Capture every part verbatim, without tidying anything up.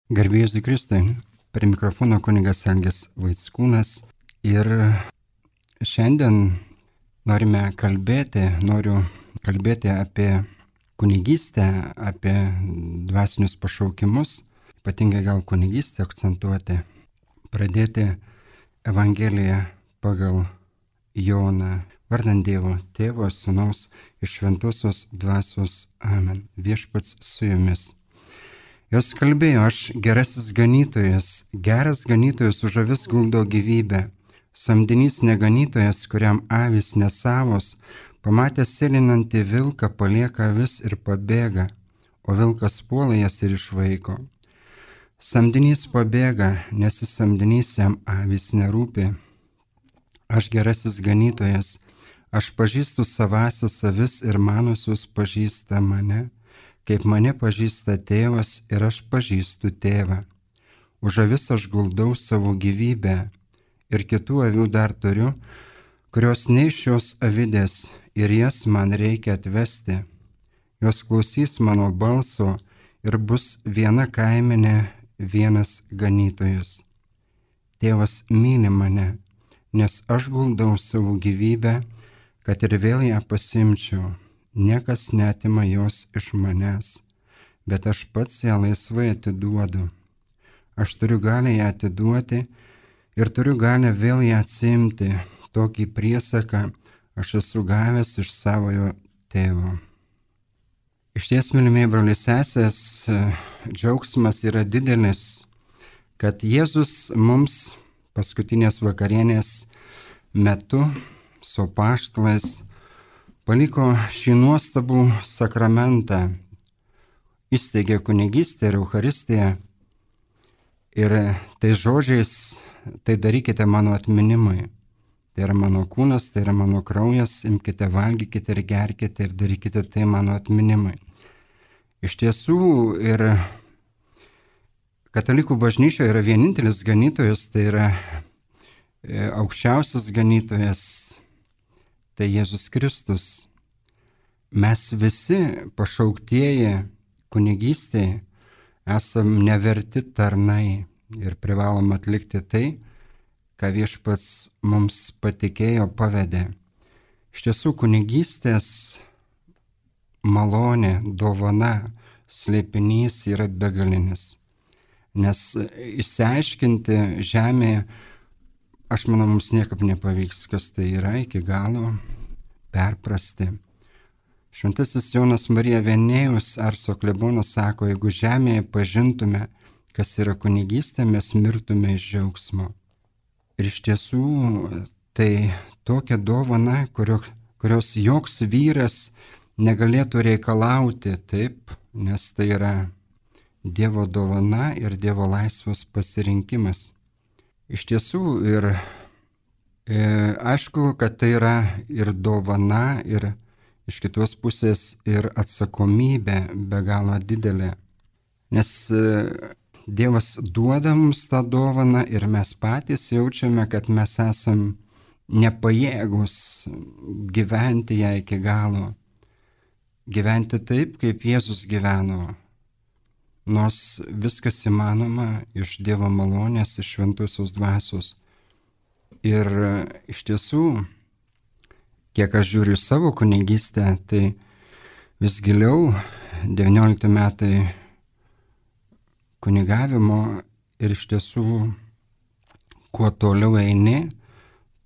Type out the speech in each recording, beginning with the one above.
Garbė Jėzui Kristui, prie mikrofono kunigas Algis Vaickūnas ir šiandien norime kalbėti, noriu kalbėti apie kunigystę, apie dvasinius pašaukimus, ypatingai gal kunigystę akcentuoti, pradėti Evangeliją pagal Joną, vardant Dievo Tėvo, Sūnaus ir Šventosios Dvasios. Amen. Viešpats su jumis. Jos kalbėjo: aš gerasis ganytojas, geras ganytojas už avis guldo gyvybę, samdinys neganytojas, kuriam avys nesavos, pamatęs sėlinantį vilką palieka avis ir pabėga, o vilkas puola jas ir išvaiko. Samdinys pabėga, nes jis samdinys, jam avys nerūpi. Aš gerasis ganytojas, aš pažįstu savąsias avis ir manosius pažįsta mane, kaip mane pažįsta tėvas ir aš pažįstu tėvą. Už avis aš guldau savo gyvybę ir kitų avių dar turiu, kurios ne iš šios avidės ir jas man reikia atvesti. Jos klausys mano balso ir bus viena kaimenė, vienas ganytojas. Tėvas myli mane, nes aš guldau savo gyvybę, kad ir vėl ją pasimčiau. Niekas neatima jos iš manęs, bet aš pats ją laisvai atiduodu. Aš turiu galią ją atiduoti ir turiu galią vėl ją atsiimti. Tokį priesaką aš esu gavęs iš savojo tėvo. Išties, mylimieji broliai sesės, džiaugsmas yra didelis, kad Jėzus mums paskutinės vakarienės metu su apaštalais paliko šį nuostabų sakramentą, įsteigė kunigystę ir Eucharistiją ir tai žodžiais: tai darykite mano atminimui. Tai yra mano kūnas, tai yra mano kraujas, imkite, valgykite ir gerkite ir darykite tai mano atminimui. Iš tiesų, ir katalikų bažnyčioje yra vienintelis ganytojas, tai yra aukščiausias ganytojas, tai Jėzus Kristus. Mes visi pašauktieji kunigystėje esam neverti tarnai ir privalom atlikti tai, ką Viešpats mums patikėjo, pavedė. Iš tiesų, kunigystės malonė, dovana, slėpinys yra begalinis. Nes išsiaiškinti žemėje, aš manau, mums niekaip nepavyks, kas tai yra iki galo perprasti. Šventasis Jonas Marija Venėjus, Arso klebonas, sako: jeigu žemėje pažintume, kas yra kunigystė, mes mirtume iš džiaugsmo. Ir iš tiesų tai tokia dovana, kurio, kurios joks vyras negalėtų reikalauti, taip, nes tai yra Dievo dovana ir Dievo laisvas pasirinkimas. Iš tiesų ir e, aišku, kad tai yra ir dovana, ir iš kitos pusės ir atsakomybė be galo didelė. Nes e, Dievas duoda mums tą dovaną ir mes patys jaučiame, kad mes esam nepajėgus gyventi ją iki galo. Gyventi taip, kaip Jėzus gyveno. Nors viskas įmanoma iš Dievo malonės, iš Šventosios Dvasios. Ir iš tiesų, kiek aš žiūriu savo kunigystę, tai vis giliau devyniolikti metai kunigavimo ir iš tiesų, kuo toliau eini,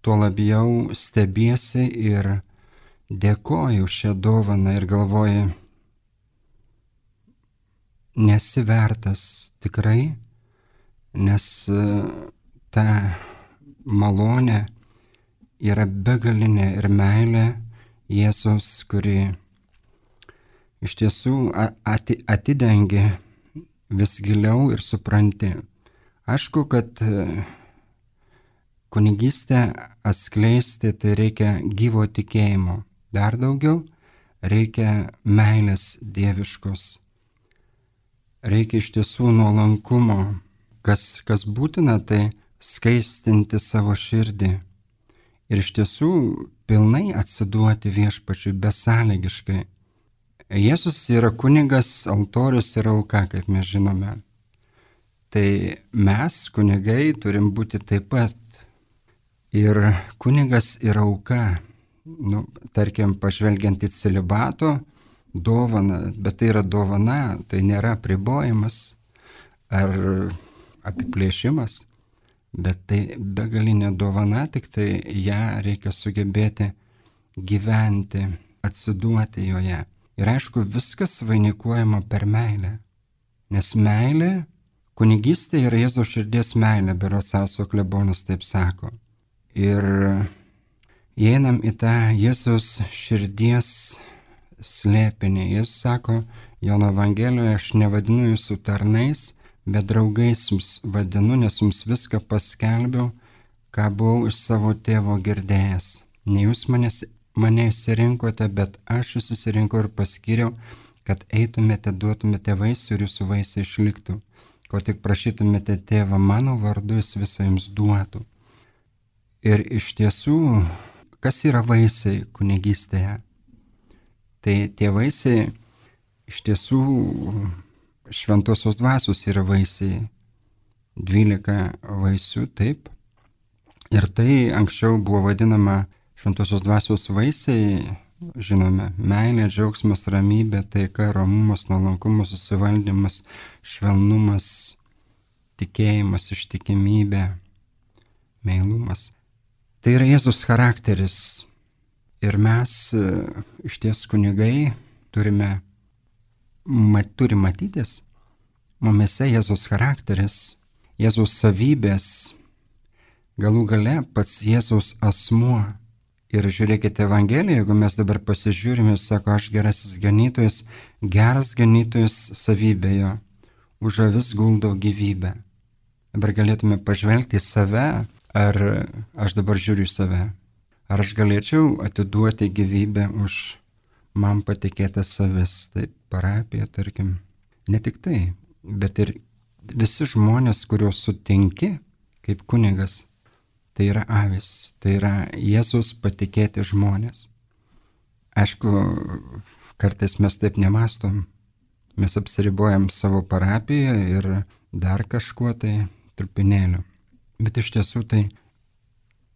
tuo labiau stebiesi ir dėkoju šią dovaną ir galvoju: nesi vertas tikrai, nes ta malonė yra begalinė ir meilė Jėzus, kuri iš tiesų atidengia vis giliau ir supranti. Aišku, kad kunigystę atskleisti tai reikia gyvo tikėjimo. Dar daugiau reikia meilės dieviškos. Reikia iš tiesų nuolankumo. Kas, kas būtina, tai skaistinti savo širdį. Ir iš tiesų pilnai atsiduoti Viešpačiui besąlygiškai. Jėzus yra kunigas, altorius yra auka, kaip mes žinome. Tai mes, kunigai, turim būti taip pat. Ir kunigas yra auka. Nu, tarkim, pažvelgiant į celibato dovaną, bet tai yra dovana, tai nėra apribojimas ar apiplėšimas, bet tai begalinė dovana, tik tai ją reikia sugebėti gyventi, atsiduoti joje. Ir aišku, viskas vainikuojama per meilę. Nes meilė, kunigystė yra Jėzaus širdies meilė, berods Salso klebonas taip sako. Ir įeinam į tą Jėzaus širdies slėpinį. Jis sako Jono Evangelijoje, aš nevadinu jūsų tarnais, bet draugais jums vadinu, nes jums viską paskelbiau, ką buvau iš savo tėvo girdėjęs. Ne jūs manęs, mane išsirinkote, bet aš jūs išsirinkau ir paskyriau, kad eitumėte, duotumėte vaisių ir jūsų vaisiai išliktų. Ko tik prašytumėte tėvą mano vardu, jis visą jums duotų. Ir iš tiesų, kas yra vaisiai kunigystėje? Tai tie vaisiai iš tiesų šventosios dvasios yra vaisiai. Dvylika vaisių, taip. Ir tai anksčiau buvo vadinama šventosios dvasios vaisiai, žinome, meilė, džiaugsmas, ramybė, taika, romumas, nuolankumas, susivaldymas, švelnumas, tikėjimas, ištikimybė, meilumas. Tai yra Jėzus charakteris. Ir mes iš ties kunigai turime, mat, turi matytis mumise Jėzus charakteris, Jėzus savybės, galų gale pats Jėzus asmuo. Ir žiūrėkite Evangeliją, jeigu mes dabar pasižiūrime, sako, aš gerasis ganytojas, geras ganytojas savybė jo, už avis guldau gyvybę. Dabar galėtume pažvelgti į save, ar aš dabar žiūriu į save, ar aš galėčiau atiduoti gyvybę už man patikėtas avis, tai parapija, tarkim. Ne tik tai, bet ir visi žmonės, kuriuos sutinki kaip kunigas, tai yra avis, tai yra Jėzus patikėti žmonės. Aišku, kartais mes taip nemastom, mes apsiribojam savo parapiją ir dar kažkuo tai trupinėliu. Bet iš tiesų tai,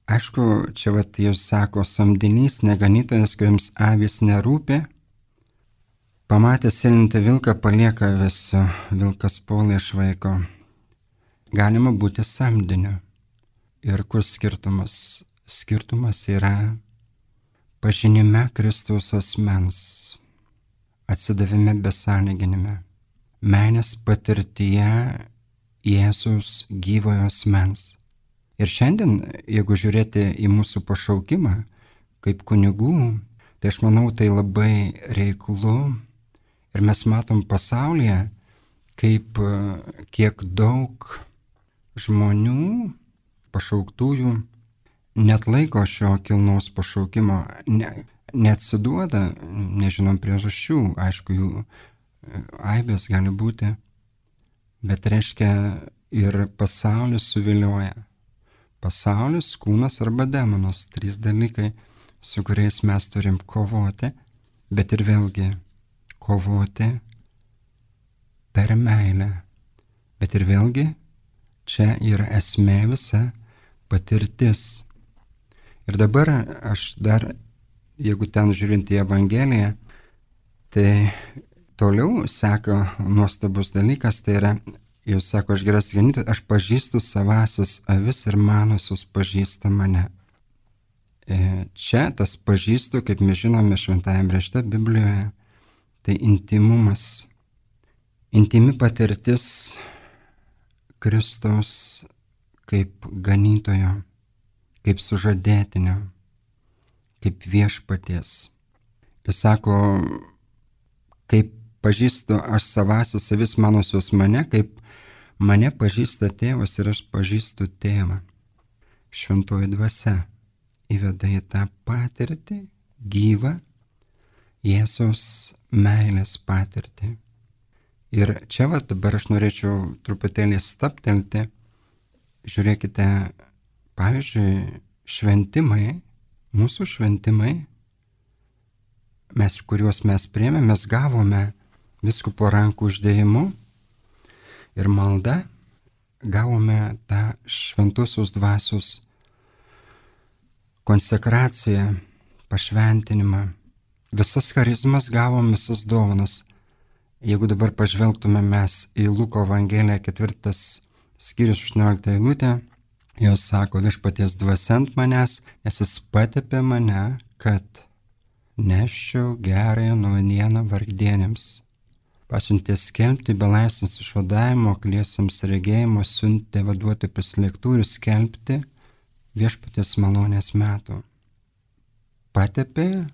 aišku, čia vat Jėzus sako, samdinys, neganytojas, kuriems avis nerūpi, pamatęs sėlintį vilką palieka visą, vilkas puola iš vaiko. Galima būti samdiniu. Ir kur skirtumas? Skirtumas yra pažinime Kristaus asmens, atsidavime besąlyginime, meilės patirtyje Jėzus gyvojo asmens. Ir šiandien, jeigu žiūrėti į mūsų pašaukimą kaip kunigų, tai aš manau, tai labai reiklu. Ir mes matom pasaulyje, kaip kiek daug žmonių, pašauktųjų, net laiko šio kilnaus pašaukimo, ne, neatsiduoda, nežinom priežasčių, aišku, jų aibės gali būti, bet reiškia ir pasaulis suvilioja. Pasaulis, kūnas arba demonas, trys dalykai, su kuriais mes turim kovoti, bet ir vėlgi kovoti per meilę, bet ir vėlgi čia yra esmė visa, patirtis. Ir dabar aš dar, jeigu ten žiūrint į Evangeliją, tai toliau seka nuostabus dalykas, tai yra, jūs sako, aš geras ganytojas, aš pažįstu savasius avis ir manosius pažįsta mane. Čia tas pažįstu, kaip mes žinome šventajame rašte Biblijoje, tai intimumas, intimi patirtis Kristaus kaip ganytojo, kaip sužadėtinio, kaip viešpaties. Jis sako, kaip pažįstu aš savasius avis manosius mane, kaip mane pažįsta tėvas ir aš pažįstu tėvą. Šventoji dvasia įveda į tą patirtį, gyvą Jėzaus meilės patirtį. Ir čia va dabar aš norėčiau truputėlį stabtelti. Žiūrėkite, pavyzdžiui, šventimai, mūsų šventimai, mes, kuriuos mes priėmėme, mes gavome viskupo rankų uždėjimu ir malda. gavome tą šventosios dvasios konsekraciją, pašventinimą. Visas charizmas gavom, visas dovanas. Jeigu dabar pažvelgtume mes į Luko Evangeliją ketvirtas skyrius aštuonioliktą eilutę, jos sako, viešpaties dvasia ant manęs, nes jis patepė mane, kad neščiau gerąją naujieną vargdienėms. Pasiuntė skelbti belaisvės išvadavimo, akliesiems regėjimo, siuntė vaduoti prislėgtų ir skelbti viešpaties malonės metų. Patepė,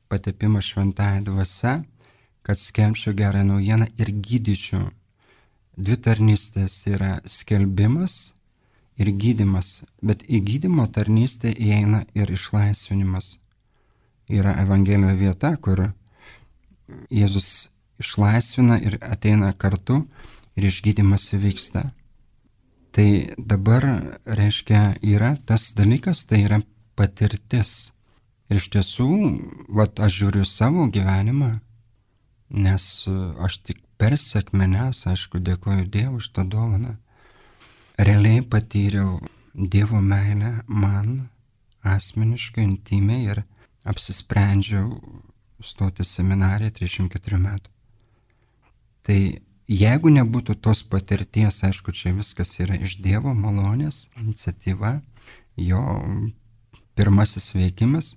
patepimą šventąja dvasia, kad skelbčiau gerą naujieną ir gydyčiau. Dvi tarnystės yra skelbimas ir gydymas, bet į gydymo tarnystę įeina ir išlaisvinimas. Yra Evangelijoje vieta, kur Jėzus išlaisvina ir ateina kartu ir išgydymas įvyksta. Tai dabar, reiškia, yra tas dalykas, tai yra patirtis. Ir iš tiesų, vat, aš žiūriu savo gyvenimą, nes aš tik per sekmenes, aišku, dėkoju Dievui už tą dovaną. Realiai patyriau Dievo meilę man asmeniškai, intimiai ir apsisprendžiau stoti seminariją trisdešimt keturių metų. Tai jeigu nebūtų tos patirties, aišku, čia viskas yra iš Dievo malonės, iniciatyva, jo pirmasis veikimas,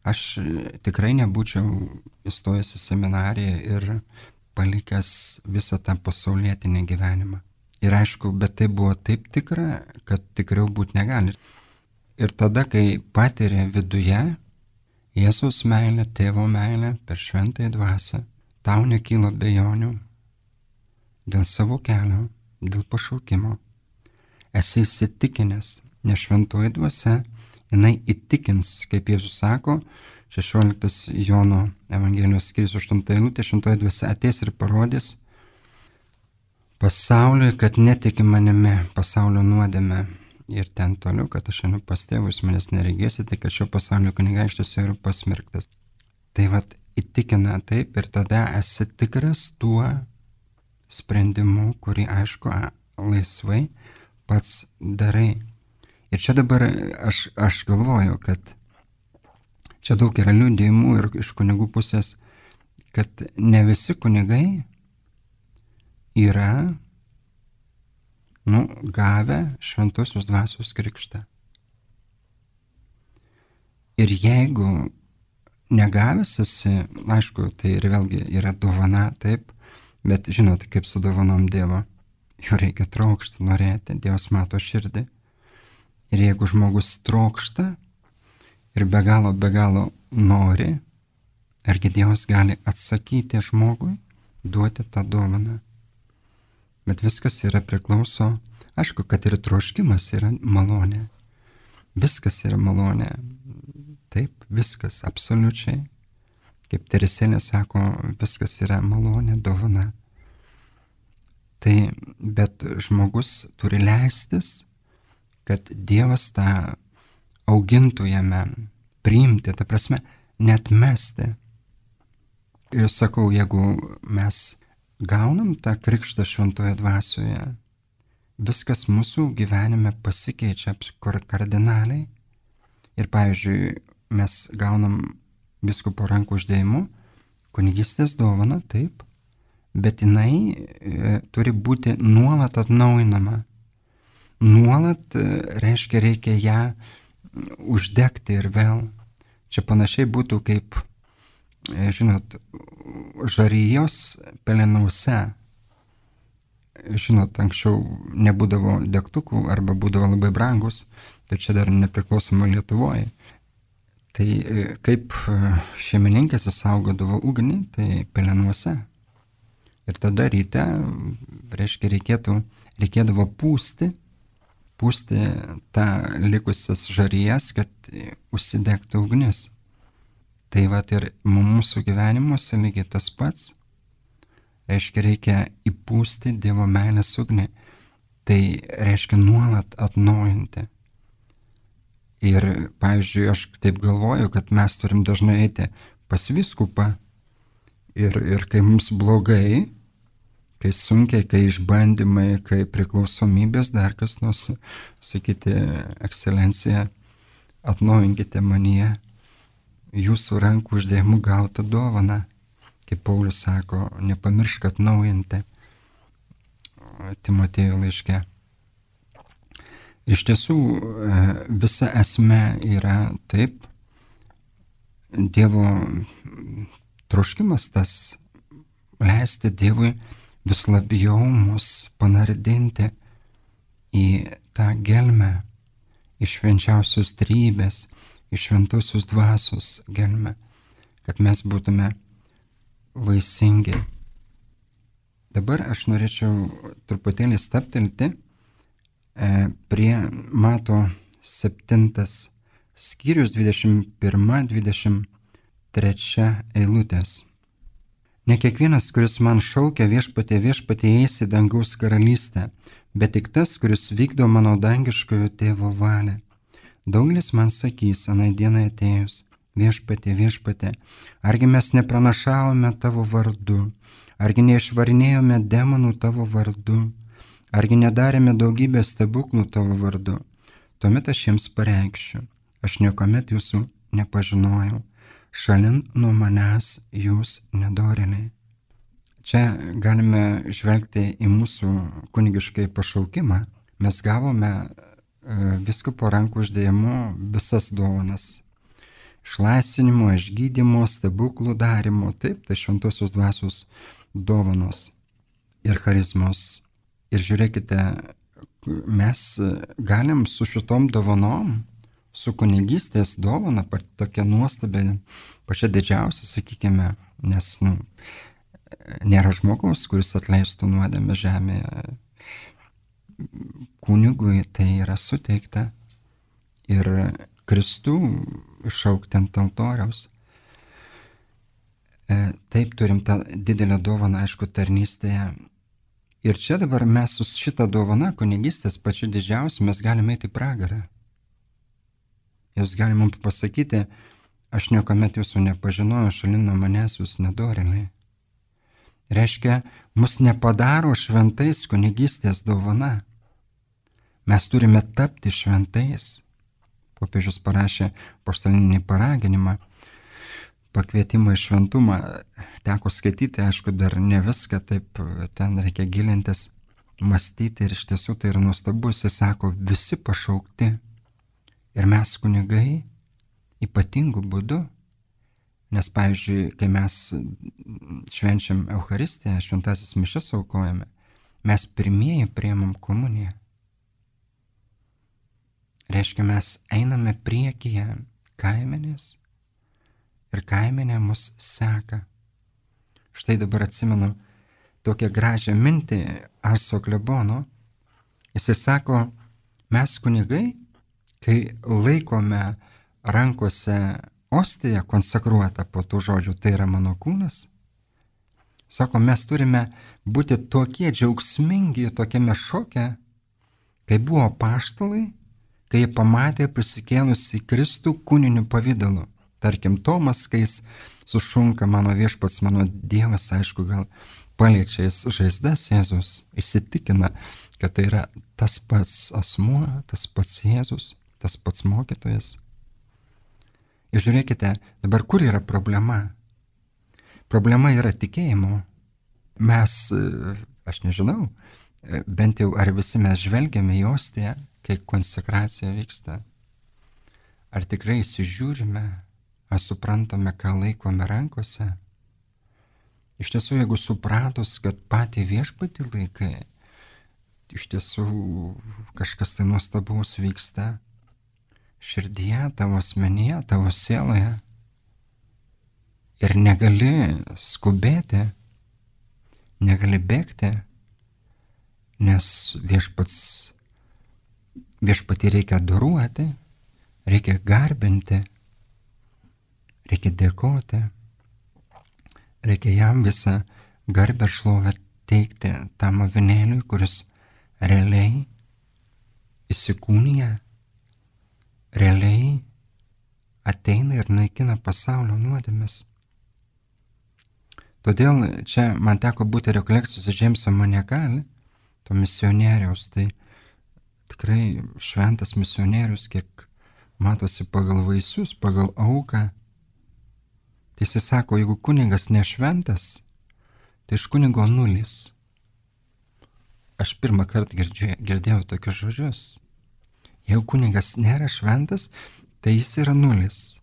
aš tikrai nebūčiau įstojęs į seminariją ir palikęs visą tą pasaulietinį gyvenimą. Ir aišku, bet tai buvo taip tikra, kad tikriau būti negali. Ir tada, kai patiria viduje Jėzaus meilę, tėvo meilę per šventąją dvasią, tau nekyla abejonių dėl savo kelio, dėl pašaukimo. Esi įsitikinęs, nes šventoji dvasia, jinai įtikins, kaip Jėzus sako, šešioliktas Jono Evangelijos skyrius aštunta eilutė, šventoji dvasia ateis ir parodys pasauliui, kad netiki manimi, pasaulio nuodėme. Ir ten toliau, kad aš einu pas tėvą, jūs manęs neregėsite, kad šio pasaulio kunigaikštis yra pasmerktas. Tai vat įtikina taip ir tada esi tikras tuo sprendimu, kurį aišku laisvai pats darai. Ir čia dabar aš, aš galvoju, kad čia daug yra liudijimų ir iš kunigų pusės, kad ne visi kunigai yra nu, gavę šventosios dvasios krikštą. Ir jeigu negavęs esi, aišku, tai ir vėlgi yra dovana, taip, bet žinot, kaip su dovanom Dievo, jų reikia trokšti, norėti, Dievas mato širdį. Ir jeigu žmogus trokšta ir be galo, be galo nori, argi Dievas gali atsakyti žmogui, duoti tą dovaną. Bet viskas yra priklauso, aišku, kad ir troškimas yra malonė. Viskas yra malonė. Taip, viskas, absoliučiai. Kaip Teresėlė sako, viskas yra malonė, dovana. Tai, bet žmogus turi leistis, kad Dievas tą augintų jame, priimti, ta prasme, net mesti. Ir sakau, jeigu mes gaunam tą krikštą šventoje dvasioje, viskas mūsų gyvenime pasikeičia kardinaliai. Ir pavyzdžiui, mes gaunam vyskupo rankų uždėjimu, kunigystės dovana, taip, bet jinai e, turi būti nuolat atnaujinama. Nuolat, e, reiškia, reikia ją uždegti ir vėl. Čia panašiai būtų kaip, e, žinot, žarijos pelenuose. Žinot, anksčiau nebūdavo degtukų arba būdavo labai brangus, tai čia dar nepriklausomai Lietuvoje. Tai kaip šeimininkas įsaugodavo ugnį, tai pelenuose. Ir tada ryte, reiškia, reikėtų, reikėdavo pūsti, pūsti tą likusias žarijas, kad užsidegtų ugnis. Tai va ir mūsų gyvenimuose lygiai tas pats. Reiškia, reikia įpūsti Dievo meilės ugnį. Tai reiškia nuolat atnaujinti. Ir, pavyzdžiui, aš taip galvoju, kad mes turim dažnai eiti pas vyskupą ir, ir kai mums blogai, kai sunkiai, kai išbandymai, kai priklausomybės, dar kas nors, sakyti, ekscelencija, atnaujinkite manyje jūsų rankų uždėjimų gautą dovaną. Kaip Paulius sako, nepamiršk atnaujinti Timotėjo laiške. Iš tiesų, visa esmė yra taip, Dievo troškimas tas leisti Dievui vis labiau mus panardinti į tą gelmę, iš švenčiausios trybės, iš šventosios dvasios gelmę, kad mes būtume vaisingi. Dabar aš norėčiau truputėlį stabtelti prie Mato septintas skyrius dvidešimt pirma dvidešimt trečia eilutės. Ne kiekvienas, kuris man šaukia viešpatie, viešpatie eis į dangaus karalystę, bet tik tas, kuris vykdo mano dangiškojo tėvo valią. Daugelis man sakys, anai dienai atėjus, viešpatie, viešpatie, argi mes nepranašavome tavo vardu, argi neišvarinėjome demonų tavo vardu, argi nedarėme daugybę stebuklų tavo vardu. Tuomet aš jiems pareikšiu, aš niekuomet jūsų nepažinojau, šalin nuo manęs jūs nedorėliai. Čia galime žvelgti į mūsų kunigiškai pašaukimą. Mes gavome vyskupo rankų uždėjimu visas dovanas. Išlaisvinimo, išgydymo, stebuklų darimo, taip, tai šventosios dvasios dovanos ir charizmos. Ir žiūrėkite, mes galim su šitom dovanom, su kunigystės dovana, tokia nuostabė, pačia didžiausia, sakykime, nes nu, nėra žmogaus, kuris atleistų nuodėmę žemėje. Kunigui tai yra suteikta ir Kristų išaukti ant altoriaus. E, taip turim tą didelę dovaną, aišku, tarnystėje. Ir čia dabar mes su šitą dovaną kunigystės pačiu didžiausiu mes galime eiti į pragarą. Jūs galime mums pasakyti, aš niekuomet jūsų nepažinojau, šalin nuo manęs jūs nedorėliai. Reiškia, mus nepadaro šventais kunigystės dovana. Mes turime tapti šventais. Popiežius parašė apaštalinį paraginimą, pakvietimą į šventumą. Teko skaityti, aišku, dar ne viską, taip ten reikia gilintis, mąstyti ir iš tiesų tai yra nuostabu. Jis sako, visi pašaukti. Ir mes kunigai ypatingų būdų, nes pavyzdžiui, kai mes švenčiam Eucharistiją, šventasis mišias aukojame, mes pirmieji priimam komuniją. Reiškia, mes einame priekyje kaimenės ir kaimenė mus seka. Štai dabar atsimenu tokią gražią mintį Arso klebono. Jisai sako, mes kunigai, kai laikome rankose ostiją konsekruotą po tų žodžių, tai yra mano kūnas, sako, mes turime būti tokie džiaugsmingi, tokiame šoke, kai buvo apaštalai, kai jie pamatė prisikėlusi Kristų kūniniu pavidalu. Tarkim, Tomas, kai jis sušunka mano viešpats, mano Dievas, aišku, gal paliečia jis žaizdas Jėzus, įsitikina, kad tai yra tas pats asmuo, tas pats Jėzus, tas pats mokytojas. Ir žiūrėkite, dabar kur yra problema? Problema yra tikėjimo. Mes, aš nežinau, bent jau ar visi mes žvelgiame į ostiją, kai konsekracija vyksta. Ar tikrai įsižiūrime, ar suprantame, ką laikome rankose? Iš tiesų, jeigu supratus, kad patį viešpatį laikai, iš tiesų kažkas tai nuostabaus vyksta širdyje, tavo asmenyje, tavo sieloje. Ir negali skubėti, negali bėgti, nes viešpats, viešpatį reikia adoruoti, reikia garbinti, reikia dėkoti, reikia jam visą garbę šlovę teikti tam avinėliui, kuris realiai įsikūnija, realiai ateina ir naikina pasaulio nuodėmes. Todėl čia man teko būti rekolekcijose Džeimso Monegali, to misionieriaus, tai tikrai šventas misionierius, kiek matosi pagal vaisius, pagal auką. Tai jis sako, jeigu kunigas nešventas, tai iš kunigo nulis. Aš pirmą kartą girdžiu, girdėjau tokius žodžius. Jeigu kunigas nėra šventas, tai jis yra nulis.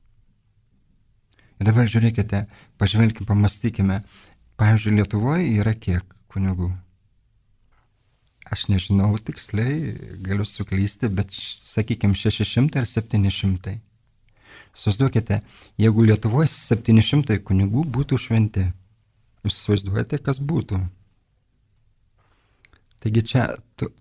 Ir dabar žiūrėkite, pažvelkime, pamastykime. Pavyzdžiui, Lietuvoje yra kiek kunigų? Aš nežinau tiksliai, galiu suklysti, bet sakykime šeši šimtai ar septyni šimtai. Suvaizduokite, jeigu Lietuvoje septyni šimtai kunigų būtų šventi, jūs suvaizduojate, kas būtų. Taigi čia,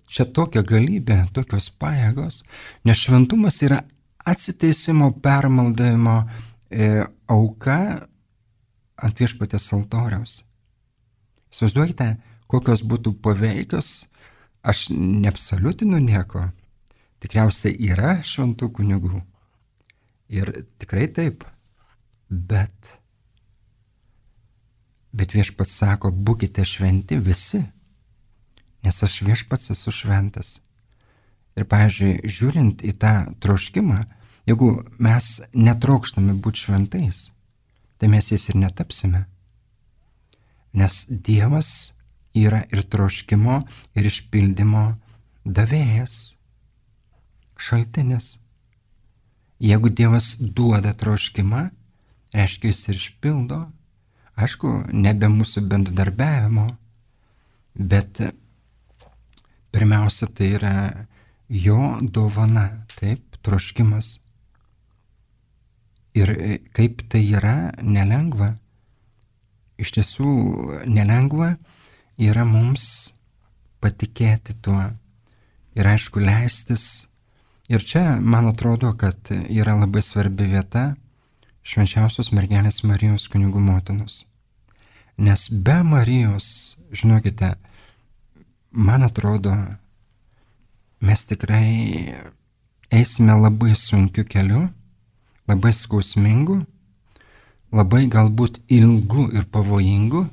čia tokia galybė, tokios pajėgos, nes šventumas yra atsiteisimo, permaldavimo e, auka ant viešpaties altoriaus. Suvaizduokite, kokios būtų paveikios, aš neabsoliutinu nieko, tikriausiai yra šventų kunigų. Ir tikrai taip, bet, bet viešpats sako, būkite šventi visi, nes aš viešpats esu šventas. Ir, pavyzdžiui, žiūrint į tą troškimą, jeigu mes netrokštame būti šventais, tai mes jais ir netapsime. Nes Dievas yra ir troškimo, ir išpildymo davėjas, šaltinis. Jeigu Dievas duoda troškimą, reiškia jis ir išpildo, aišku, nebe mūsų bendradarbiavimo, bet pirmiausia, tai yra jo dovana, taip, troškimas. Ir kaip tai yra nelengva, iš tiesų nelengva yra mums patikėti tuo ir aišku leistis. Ir čia, man atrodo, kad yra labai svarbi vieta švenčiausios mergelės Marijos kunigų motinos. Nes be Marijos, žinokite, man atrodo, mes tikrai eisime labai sunkiu keliu, labai skausmingu, labai galbūt ilgu ir pavojingu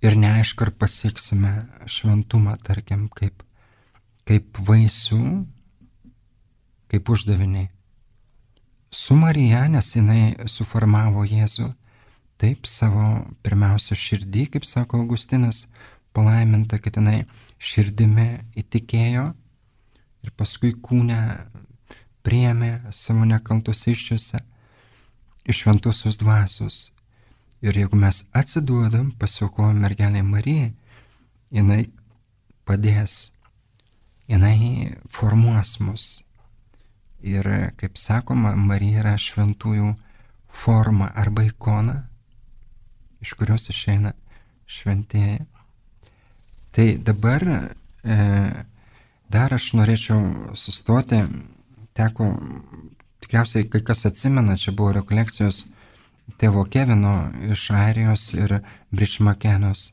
ir neaišku, ar pasieksime šventumą, tarkim, kaip, kaip vaisių, kaip uždaviniai. Su Marija, nes jinai suformavo Jėzų, taip savo pirmiausia širdį, kaip sako Augustinas, palaiminta, kad jinai širdimi įtikėjo ir paskui kūne priėmė savo nekaltus iščiuose iš šventosios dvasios. Ir jeigu mes atsiduodam, pasiaukojam mergelei Marijai, jinai padės, jinai formuos mus. Ir, kaip sakoma, Marija yra šventųjų forma arba ikona, iš kurios išeina šventieji. Tai dabar e, dar aš norėčiau sustoti, teko, tikriausiai kai kas atsimena, čia buvo rekolekcijos tėvo Kevino iš Airijos ir Bričmakenos.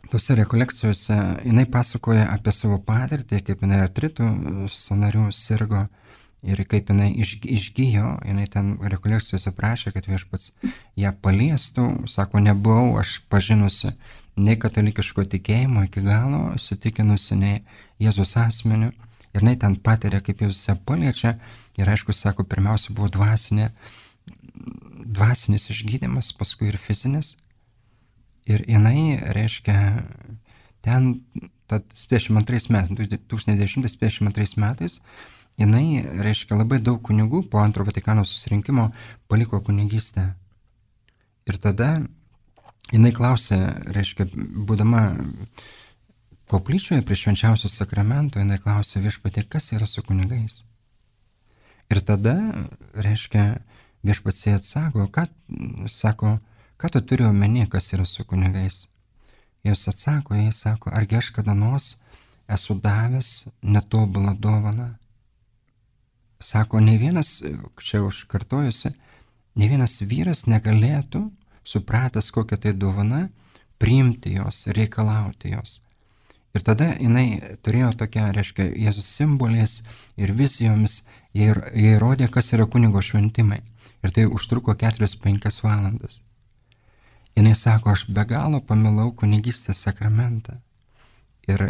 Tose rekolekcijose jinai pasakoja apie savo patirtį, kaip jinai artritų sąnarių sirgo ir kaip jinai išgijo. Jinai ten rekolekcijose prašė, kad viešpats ją paliestų. Sako, nebuvau aš pažinusi nei katalikiško tikėjimo iki galo, įsitikinusi nei Jėzus asmeniu. Ir jinai ten patiria, kaip Jėzus ją paliečia. Ir aišku, sako, pirmiausia buvo dvasinė, dvasinis išgydymas, paskui ir fizinis. Ir jinai, reiškia, ten, tad septyniasdešimt antrais metais, tūkstantis devyni šimtai septyniasdešimt antrais metais, jinai, reiškia, labai daug kunigų po antro Vatikano susirinkimo paliko kunigystę. Ir tada jinai klausė, reiškia, būdama koplyčioje prie švenčiausio sakramento, jinai klausė viešpatie, kas yra su kunigais. Ir tada, reiškia, viešpats jai atsako, ką, sako, ką tu turi omeny, kas yra su kunigais? Jis atsako, jai sako, argi aš kada nors esu davęs netobulą dovaną? Sako, ne vienas, čia užkartojusi, ne vienas vyras negalėtų, supratęs kokią tai dovana, priimti jos, reikalauti jos. Ir tada jinai turėjo tokią, reiškia, Jėzus simboliais ir vizijomis, jie, jie rodė, kas yra kunigo šventimai. Ir tai užtruko keturias penkias valandas. Jis sako, aš be galo pamilau kunigystės sakramentą. Ir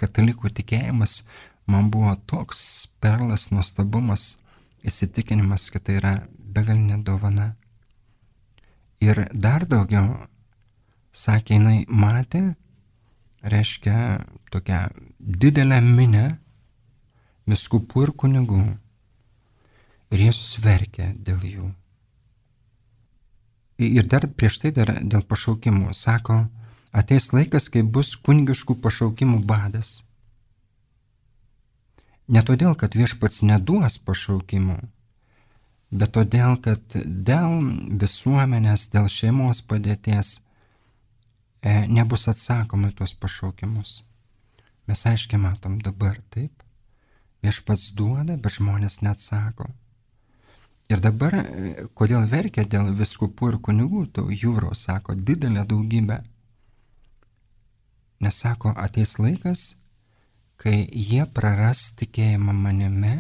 katalikų tikėjimas man buvo toks perlas, nuostabumas, įsitikinimas, kad tai yra begalinė dovana. Ir dar daugiau, sakė, jinai matė, reiškia, tokią didelę minę vyskupų ir kunigų. Ir Jėzus verkė dėl jų. Ir dar prieš tai dar dėl pašaukimų. Sako, ateis laikas, kai bus kunigiškų pašaukimų badas. Ne todėl, kad viešpats neduos pašaukimų, bet todėl, kad dėl visuomenės, dėl šeimos padėties e, nebus atsakoma į tuos pašaukimus. Mes aiškiai matom dabar, taip. Viešpats duoda, bet žmonės neatsako. Ir dabar, kodėl verkia dėl vyskupų ir kunigų, tų jūrų, sako, didelė daugybė. Nes sako, ateis laikas, kai jie praras tikėjimą manimi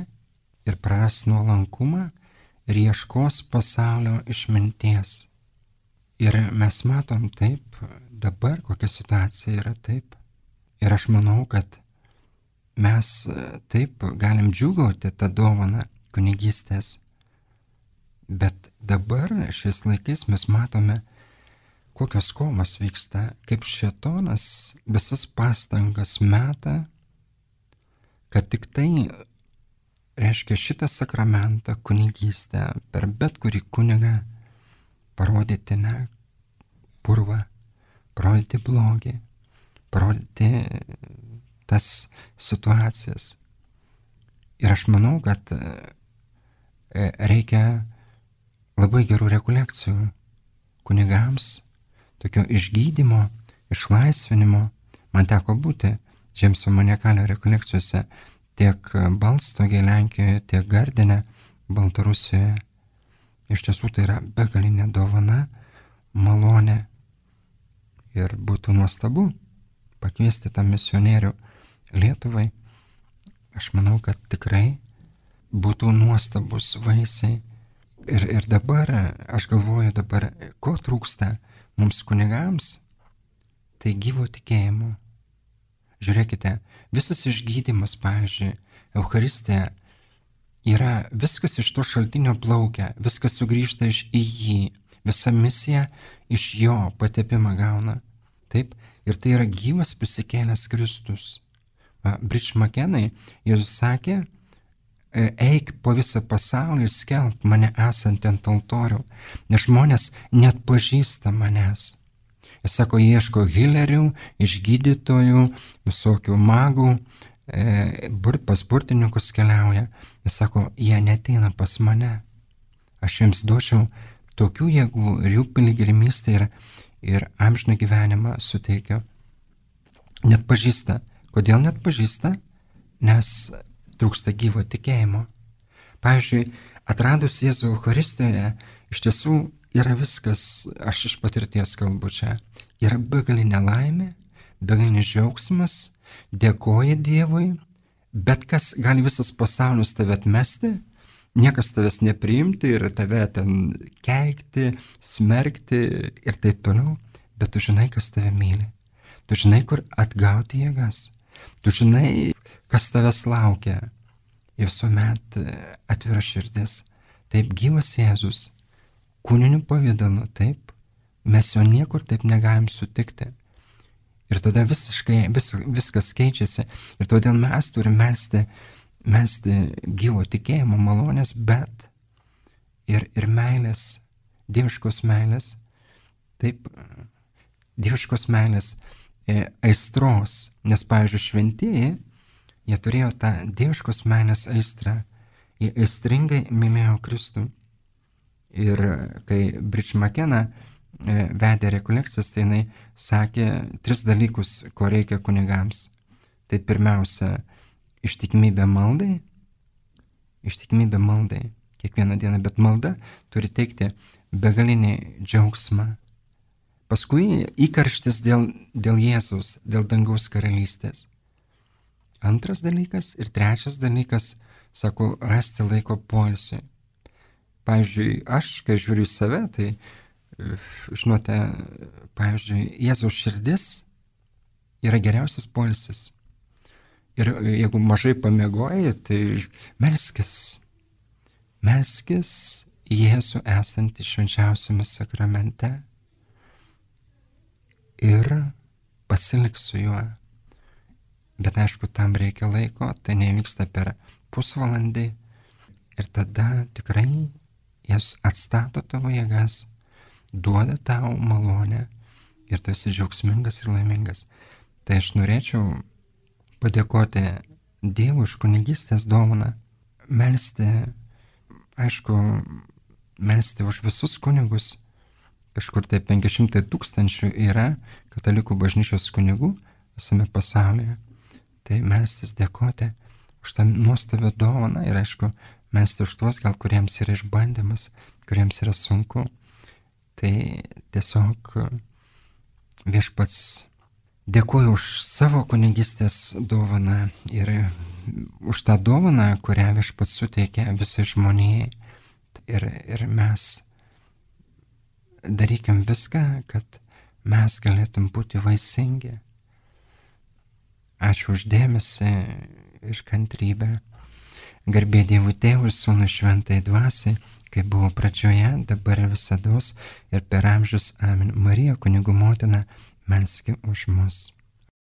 ir praras nuolankumą ir ieškos pasaulio išminties. Ir mes matom taip, dabar kokia situacija yra taip. Ir aš manau, kad mes taip galim džiūgauti tą dovaną kunigystės. Bet dabar šiais laikais mes matome, kokios kovos vyksta, kaip šėtonas visas pastangas meta, kad tik tai, reiškia, šitą sakramentą, kunigystę, per bet kurį kunigą parodyti, ne, purvą, parodyti blogį, parodyti tas situacijas. Ir aš manau, kad reikia labai gerų rekolekcijų kunigams, tokio išgydymo, išlaisvinimo. Man teko būti Džeimso Maniakalio rekolekcijose tiek Balstogėje, Lenkijoje, tiek Gardine, Baltarusijoje. Iš tiesų tai yra begalinė dovana, malonė. Ir būtų nuostabu pakviesti tą misionierių Lietuvai. Aš manau, kad tikrai būtų nuostabus vaisiai. Ir, ir dabar, aš galvoju dabar, ko trūksta mums kunigams, tai gyvo tikėjimo. Žiūrėkite, visas išgydymas, pavyzdžiui, Eucharistija, yra viskas iš to šaltinio plaukia, viskas sugrįžta iš į jį, visa misija iš jo patepimą gauna. Taip, ir tai yra gyvas prisikėlęs Kristus. Bridge McKenna, Jėzus sakė, eik po visą pasaulį ir skelbk mane esant ant altorių, nes žmonės net pažįsta manęs. Jis sako, ieško hilerių, išgydytojų, visokių magų, e, burt, pas burtininkus keliauja. Jis sako, jie neteina pas mane. Aš jiems duočiau tokių jėgų ir jų piligrimystę ir, ir amžiną gyvenimą suteikiu. Net pažįsta. Kodėl net pažįsta? Nes trūksta gyvo tikėjimo. Pavyzdžiui, atradus Jėzų Eucharistijoje, iš tiesų yra viskas, aš iš patirties kalbu čia, yra begalinė laimė, begalinis džiaugsmas, dėkoja Dievui, bet kas gali visas pasaulis tave atmesti, niekas tavęs nepriimti ir tave ten keikti, smerkti ir taip toliau, bet tu žinai, kas tave myli, tu žinai, kur atgauti jėgas. Tu žinai, kas tavęs laukia ir visuomet atvira širdis. Taip gyvas Jėzus, kūniniu pavidalu, taip, mes jo niekur taip negalim sutikti. Ir tada visiškai vis, viskas keičiasi. Ir todėl mes turime melsti, melsti gyvo tikėjimo malonės, bet ir, ir meilės, dieviškos meilės, taip, dieviškos meilės, aistros, nes, pavyzdžiui, šventieji, jie turėjo tą dieviškos meilės aistrą, jie aistringai mylėjo Kristų. Ir kai Bridge McKenna vedė rekolekcijas, tai jinai sakė tris dalykus, ko reikia kunigams. Tai pirmiausia, ištikimybė maldai, ištikimybė maldai kiekvieną dieną, bet malda turi teikti begalinį džiaugsmą. Paskui įkarštis dėl, dėl Jėzaus, dėl dangaus karalystės. Antras dalykas ir trečias dalykas, sako, rasti laiko poilsiui. Pavyzdžiui, aš, kai žiūriu į save, tai žinote, pavyzdžiui, Jėzaus širdis yra geriausias poilsis. Ir jeigu mažai pamiegoji, tai melskis, melskis Jėzų esantį švenčiausiame sakramente ir pasilik su juo. Bet aišku, tam reikia laiko, tai nevyksta per pusvalandį ir tada tikrai Jėzus atstato tavo jėgas, duoda tau malonę ir tu esi džiaugsmingas ir laimingas. Tai aš norėčiau padėkoti Dievui už kunigystės dovaną, melsti, aišku, melsti už visus kunigus. Kažkur tai penki šimtai tūkstančių yra katalikų bažnyčios kunigų visame pasaulyje. Tai melstis, dėkoti už tą nuostabią dovaną ir aišku, melsti už tuos, gal kuriems yra išbandymas, kuriems yra sunku. Tai tiesiog Viešpats, dėkuoju už savo kunigystės dovaną ir už tą dovaną, kurią Viešpats suteikia visai žmonijai. Ir, ir mes darykim viską, kad mes galėtum būti vaisingi. Ačiū už dėmesį ir kantrybę. Garbė Dievui Tėvui ir Sūnui Šventai Dvasiai, kaip buvo pradžioje, dabar ir visados ir per amžius. Amen. Marija, kunigų motina, melski už mus.